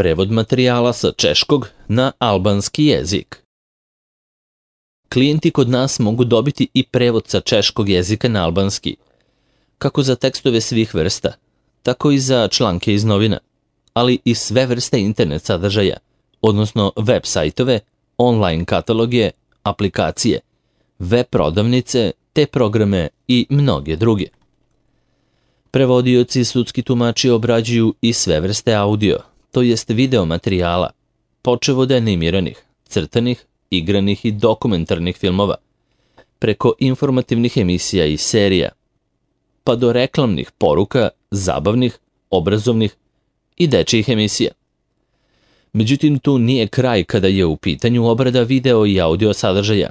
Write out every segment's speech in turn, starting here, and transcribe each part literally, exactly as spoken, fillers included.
Prevod materijala sa češkog na albanski jezik. Klijenti kod nas mogu dobiti i prevod sa češkog jezika na albanski, kako za tekstove svih vrsta, tako i za članke iz novina, ali i sve vrste internet sadržaja, odnosno web sajtove, online kataloge, aplikacije, web prodavnice, te programe i mnoge druge. Prevodioci i sudski tumači obrađuju i sve vrste audio, to jest video materijala, počev od animiranih, crtanih, igranih i dokumentarnih filmova, preko informativnih emisija i serija, pa do reklamnih poruka, zabavnih, obrazovnih i dečijih emisija. Međutim, tu nije kraj kada je u pitanju obrada video i audio sadržaja,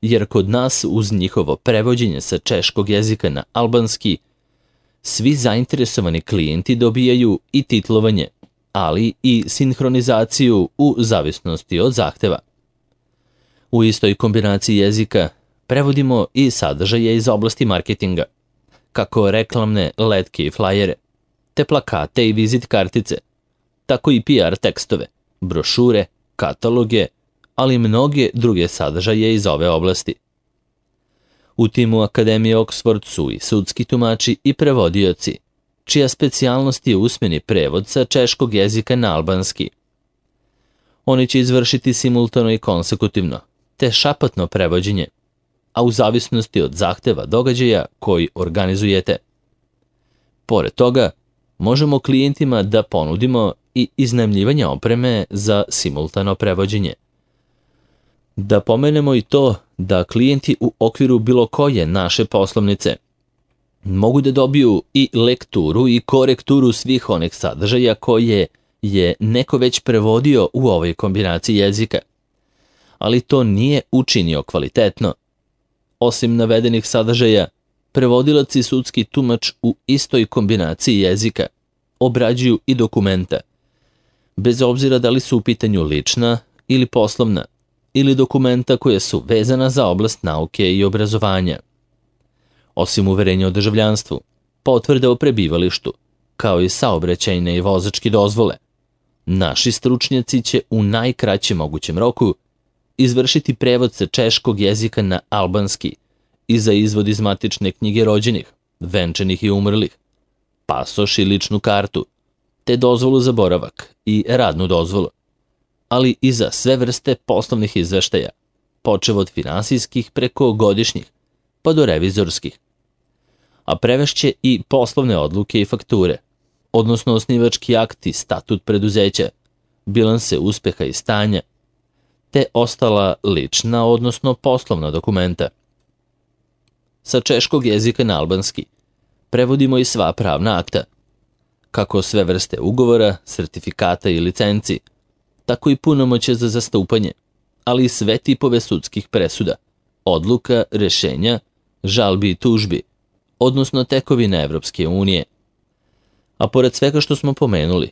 jer kod nas uz njihovo prevođenje sa češkog jezika na albanski, svi zainteresovani klijenti dobijaju i titlovanje, ali i sinhronizaciju u zavisnosti od zahteva. U istoj kombinaciji jezika prevodimo i sadržaje iz oblasti marketinga, kako reklamne letke i flajere, te plakate i vizit kartice, tako i P R tekstove, brošure, kataloge, ali i mnoge druge sadržaje iz ove oblasti. U timu Akademije Oxford su i sudski tumači i prevodioci, čija specijalnost je usmeni prevod sa češkog jezika na albanski. Oni će izvršiti simultano i konsekutivno, te šapatno prevođenje, a u zavisnosti od zahteva događaja koji organizujete. Pored toga, možemo klijentima da ponudimo i iznajmljivanje opreme za simultano prevođenje. Da pomenemo i to da klijenti u okviru bilo koje naše poslovnice mogu da dobiju i lekturu i korekturu svih onih sadržaja koje je neko već prevodio u ovoj kombinaciji jezika, ali to nije učinio kvalitetno. Osim navedenih sadržaja, prevodilac i sudski tumač u istoj kombinaciji jezika obrađuju i dokumenta, bez obzira da li su u pitanju lična ili poslovna, ili dokumenta koje su vezana za oblast nauke i obrazovanja. Osim uverenja o državljanstvu, potvrde o prebivalištu, kao i saobraćajne i vozačke dozvole, naši stručnjaci će u najkraćem mogućem roku izvršiti prevod sa češkog jezika na albanski i za izvod iz matične knjige rođenih, venčanih i umrlih, pasoš i ličnu kartu, te dozvolu za boravak i radnu dozvolu, ali i za sve vrste poslovnih izveštaja, počev od finansijskih preko godišnjih, pa do revizorskih. A prevešće i poslovne odluke i fakture, odnosno osnivački akt i statut preduzeća, bilanse uspeha i stanja, te ostala lična, odnosno poslovna dokumenta. Sa češkog jezika na albanski prevodimo i sva pravna akta, kako sve vrste ugovora, sertifikata i licenci, tako i punomoćje za zastupanje, ali i sve tipove sudskih presuda, odluka, rešenja, žalbi i tužbi, odnosno tekovine Evropske unije. A pored svega što smo pomenuli,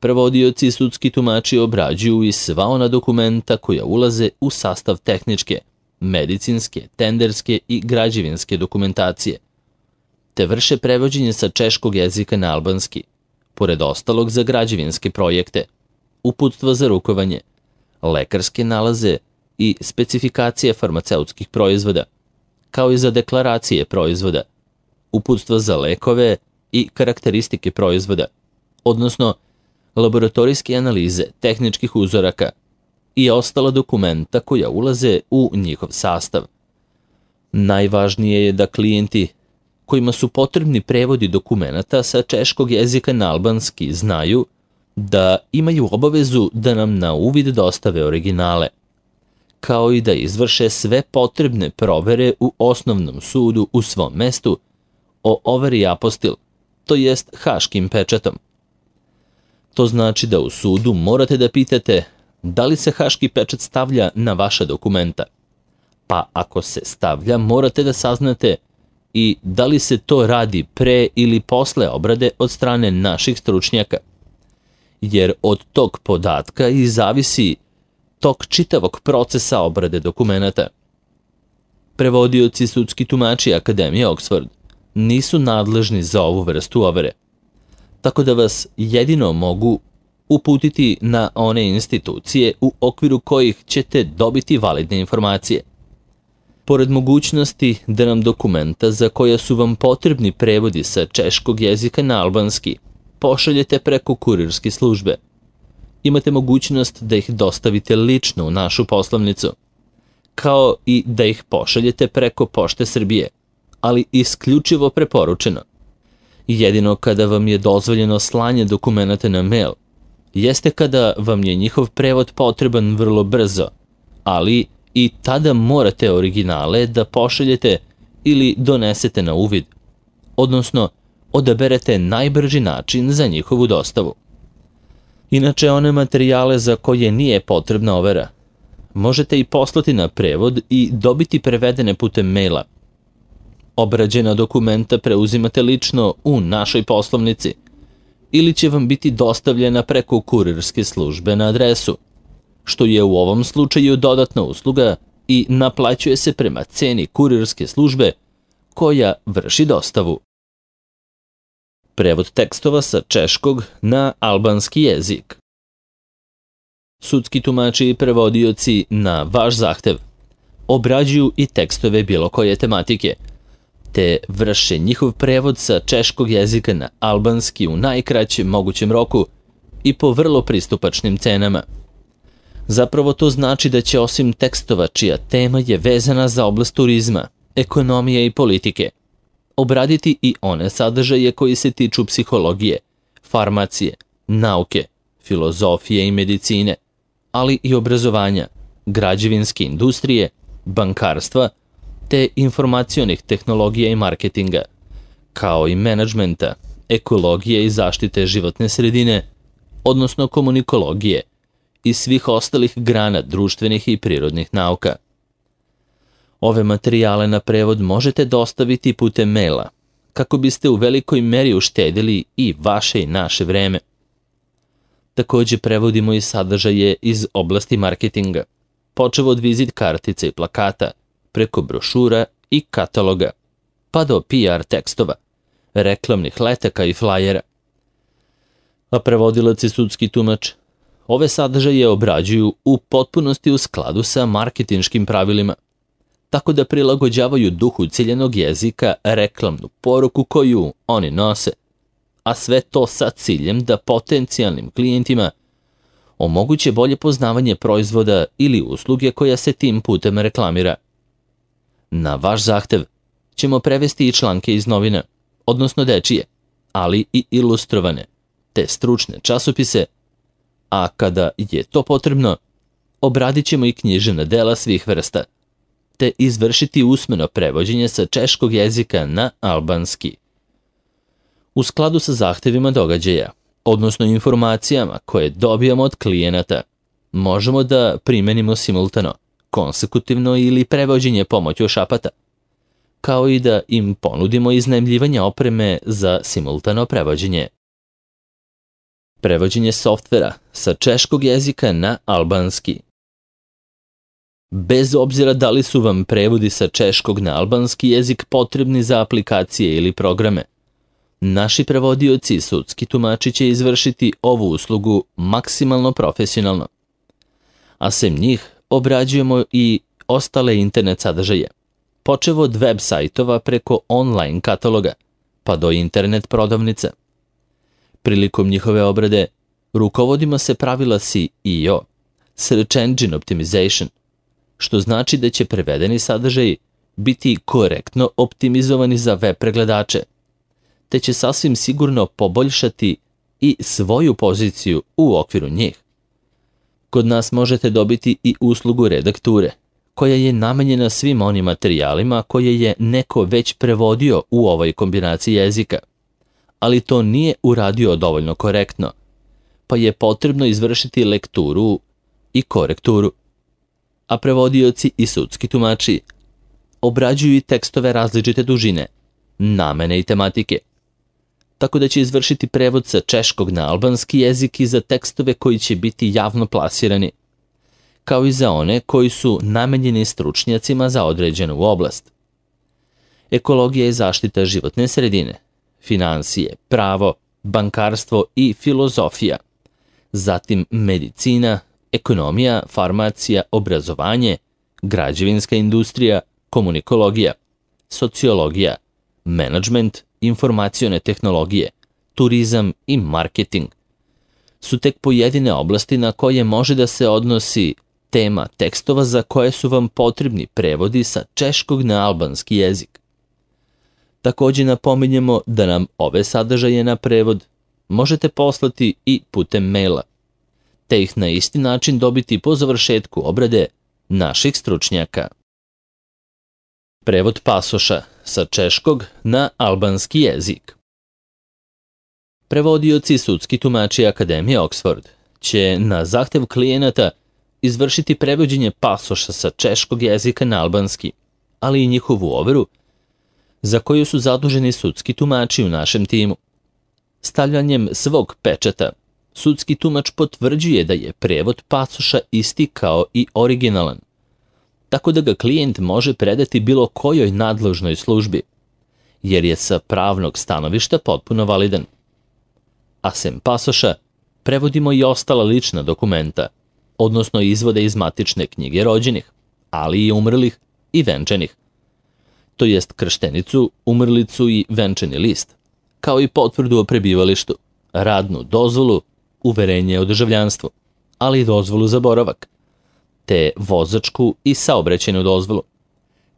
prevodioci i sudski tumači obrađuju i sva ona dokumenta koja ulaze u sastav tehničke, medicinske, tenderske i građevinske dokumentacije, te vrše prevođenje sa češkog jezika na albanski, pored ostalog za građevinske projekte, uputstva za rukovanje, lekarske nalaze i specifikacije farmaceutskih proizvoda, kao i za deklaracije proizvoda, uputstva za lekove i karakteristike proizvoda, odnosno laboratorijske analize tehničkih uzoraka i ostala dokumenta koja ulaze u njihov sastav. Najvažnije je da klijenti kojima su potrebni prevodi dokumenata sa češkog jezika na albanski znaju da imaju obavezu da nam na uvid dostave originale, kao i da izvrše sve potrebne provere u osnovnom sudu u svom mestu o overi apostil, to jest haškim pečatom. To znači da u sudu morate da pitate da li se haški pečat stavlja na vaša dokumenta, pa ako se stavlja morate da saznate i da li se to radi pre ili posle obrade od strane naših stručnjaka, jer od tog podatka i zavisi tok čitavog procesa obrade dokumenata. Prevodioci i sudski tumači Akademije Oxford nisu nadležni za ovu vrstu overe, tako da vas jedino mogu uputiti na one institucije u okviru kojih ćete dobiti validne informacije. Pored mogućnosti da nam dokumenta za koja su vam potrebni prevodi sa češkog jezika na albanski pošaljete preko kurirske službe, imate mogućnost da ih dostavite lično u našu poslovnicu, kao i da ih pošaljete preko Pošte Srbije, ali isključivo preporučeno. Jedino kada vam je dozvoljeno slanje dokumenata na mail, jeste kada vam je njihov prevod potreban vrlo brzo, ali i tada morate originale da pošaljete ili donesete na uvid, odnosno odaberete najbrži način za njihovu dostavu. Inače, one materijale za koje nije potrebna overa, možete i poslati na prevod i dobiti prevedene putem maila. Obrađena dokumenta preuzimate lično u našoj poslovnici ili će vam biti dostavljena preko kurirske službe na adresu, što je u ovom slučaju dodatna usluga i naplaćuje se prema ceni kurirske službe koja vrši dostavu. Prevod tekstova sa češkog na albanski jezik. Sudski tumači i prevodioci na vaš zahtev obrađuju i tekstove bilo koje tematike, te vrše njihov prevod sa češkog jezika na albanski u najkraćem mogućem roku i po vrlo pristupačnim cenama. Zapravo to znači da će osim tekstova čija tema je vezana za oblast turizma, ekonomije i politike, obraditi i one sadržaje koji se tiču psihologije, farmacije, nauke, filozofije i medicine, ali i obrazovanja, građevinske industrije, bankarstva, te informacionih tehnologija i marketinga, kao i menadžmenta, ekologije i zaštite životne sredine, odnosno komunikologije i svih ostalih grana društvenih i prirodnih nauka. Ove materijale na prevod možete dostaviti putem maila, kako biste u velikoj meri uštedili i vaše i naše vreme. Takođe prevodimo i sadržaje iz oblasti marketinga, počev od vizit kartica i plakata, preko brošura i kataloga, pa do P R tekstova, reklamnih letaka i flajera. A prevodilac i sudski tumač ove sadržaje obrađuju u potpunosti u skladu sa marketinškim pravilima, tako da prilagođavaju duhu ciljenog jezika reklamnu poruku koju oni nose, a sve to sa ciljem da potencijalnim klijentima omoguće bolje poznavanje proizvoda ili usluge koja se tim putem reklamira. Na vaš zahtev ćemo prevesti i članke iz novina, odnosno dečije, ali i ilustrovane, te stručne časopise, a kada je to potrebno, obradit ćemo i književna dela svih vrsta, te izvršiti usmeno prevođenje sa češkog jezika na albanski. U skladu sa zahtevima događaja, odnosno informacijama koje dobijamo od klijenata, možemo da primenimo simultano, konsekutivno ili prevođenje pomoću šapata, kao i da im ponudimo iznajmljivanje opreme za simultano prevođenje. Prevođenje softvera sa češkog jezika na albanski. Bez obzira da li su vam prevodi sa češkog na albanski jezik potrebni za aplikacije ili programe, naši prevodioci i sudski tumači će izvršiti ovu uslugu maksimalno profesionalno. A sem njih obrađujemo i ostale internet sadržaje, počev od web sajtova preko online kataloga, pa do internet prodavnica. Prilikom njihove obrade rukovodimo se pravila S E O, Search Engine Optimization, što znači da će prevedeni sadržaji biti korektno optimizovani za web pregledače, te će sasvim sigurno poboljšati i svoju poziciju u okviru njih. Kod nas možete dobiti i uslugu redakture, koja je namenjena svim onim materijalima koje je neko već prevodio u ovoj kombinaciji jezika, ali to nije uradio dovoljno korektno, pa je potrebno izvršiti lekturu i korekturu. A prevodioci i sudski tumači obrađuju i tekstove različite dužine, namene i tematike, tako da će izvršiti prevod sa češkog na albanski jezik i za tekstove koji će biti javno plasirani, kao i za one koji su namenjeni stručnjacima za određenu oblast. Ekologija i zaštita životne sredine, finansije, pravo, bankarstvo i filozofija, zatim medicina, ekonomija, farmacija, obrazovanje, građevinska industrija, komunikologija, sociologija, menadžment, informacione tehnologije, turizam i marketing su tek pojedine oblasti na koje može da se odnosi tema tekstova za koje su vam potrebni prevodi sa češkog na albanski jezik. Takođe napominjemo da nam ove sadržaje na prevod možete poslati i putem maila, te ih na isti način dobiti po završetku obrade naših stručnjaka. Prevod pasoša sa češkog na albanski jezik. Prevodioci i sudski tumači Akademije Oxford će na zahtev klijenata izvršiti prevođenje pasoša sa češkog jezika na albanski, ali i njihovu overu, za koju su zaduženi sudski tumači u našem timu. Stavljanjem svog pečata, sudski tumač potvrđuje da je prevod pasoša isti kao i originalan, tako da ga klijent može predati bilo kojoj nadležnoj službi, jer je sa pravnog stanovišta potpuno validan. A sem pasoša, prevodimo i ostala lična dokumenta, odnosno izvode iz matične knjige rođenih, ali i umrlih i venčanih, to jest krštenicu, umrlicu i venčani list, kao i potvrdu o prebivalištu, radnu dozvolu, uverenje o državljanstvu, ali i dozvolu za boravak, te vozačku i saobraćajnu dozvolu,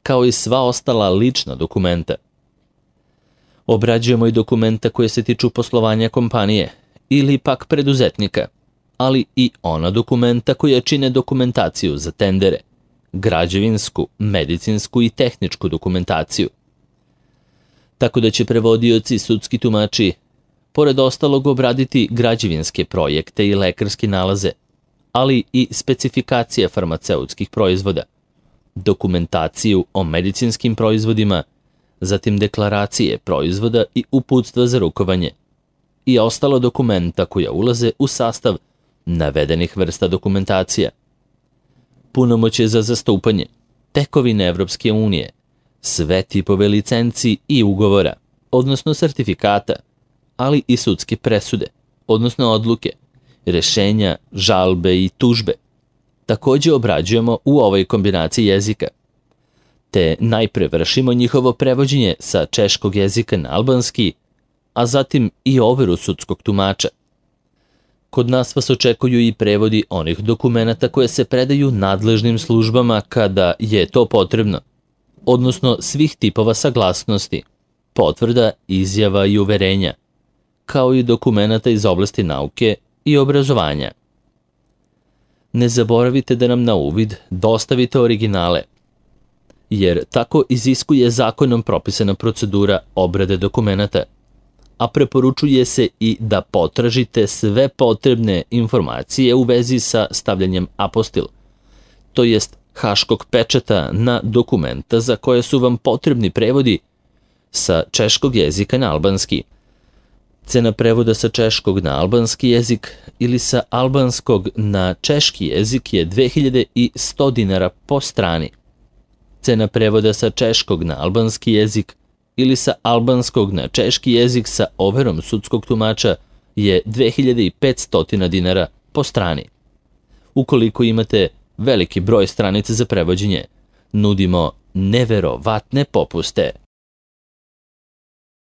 kao i sva ostala lična dokumenta. Obrađujemo i dokumenta koje se tiču poslovanja kompanije ili pak preduzetnika, ali i ona dokumenta koja čine dokumentaciju za tendere, građevinsku, medicinsku i tehničku dokumentaciju. Tako da će prevodioci i sudski tumači, pored ostalog, obraditi građevinske projekte i lekarske nalaze, ali i specifikacije farmaceutskih proizvoda, dokumentaciju o medicinskim proizvodima, zatim deklaracije proizvoda i uputstva za rukovanje i ostala dokumenta koja ulaze u sastav navedenih vrsta dokumentacija. Punomoćje za zastupanje, tekovine Evropske unije, sve tipove licenci i ugovora, odnosno sertifikata, ali i sudske presude, odnosno odluke, rešenja, žalbe i tužbe. Takođe obrađujemo u ovoj kombinaciji jezika, te najpre vršimo njihovo prevođenje sa češkog jezika na albanski, a zatim i overu sudskog tumača. Kod nas vas očekuju i prevodi onih dokumenata koje se predaju nadležnim službama kada je to potrebno, odnosno svih tipova saglasnosti, potvrda, izjava i uverenja, kao i dokumenata iz oblasti nauke i obrazovanja. Ne zaboravite da nam na uvid dostavite originale, jer tako iziskuje zakonom propisana procedura obrade dokumenata, a preporučuje se i da potražite sve potrebne informacije u vezi sa stavljanjem apostil, to jest haškog pečata na dokumenta za koje su vam potrebni prevodi sa češkog jezika na albanski. Cena prevoda sa češkog na albanski jezik ili sa albanskog na češki jezik je dve hiljade sto dinara po strani. Cena prevoda sa češkog na albanski jezik ili sa albanskog na češki jezik sa overom sudskog tumača je dve hiljade petsto dinara po strani. Ukoliko imate veliki broj stranica za prevođenje, nudimo neverovatne popuste.